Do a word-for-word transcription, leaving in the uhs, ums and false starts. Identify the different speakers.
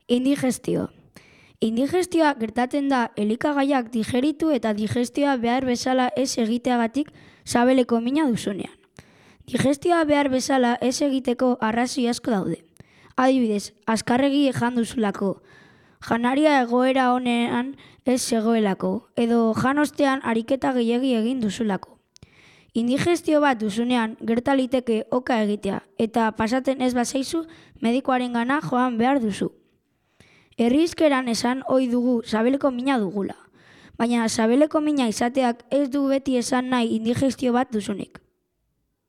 Speaker 1: Indigestio. Indigestioa gertatzen da elikagaiak digeritu eta digestioa behar bezala ez egiteagatik sabeleko mina duzunean. Digestioa behar bezala ez egiteko arrazoi asko daude. Adibidez, azkarregi jan duzulako, janaria egoera honean ez zegoelako, edo jan ostean ariketa gehiegi egin duzulako. Indigestio bat duzunean gerta liteke oka egitea eta pasatzen ez bazaizu medikuarengana joan behar duzu. Herrizkeran esan ohi dugu sabeleko mina dugula, baina sabeleko mina izateak ez du beti esan nahi indigestio bat duzunik.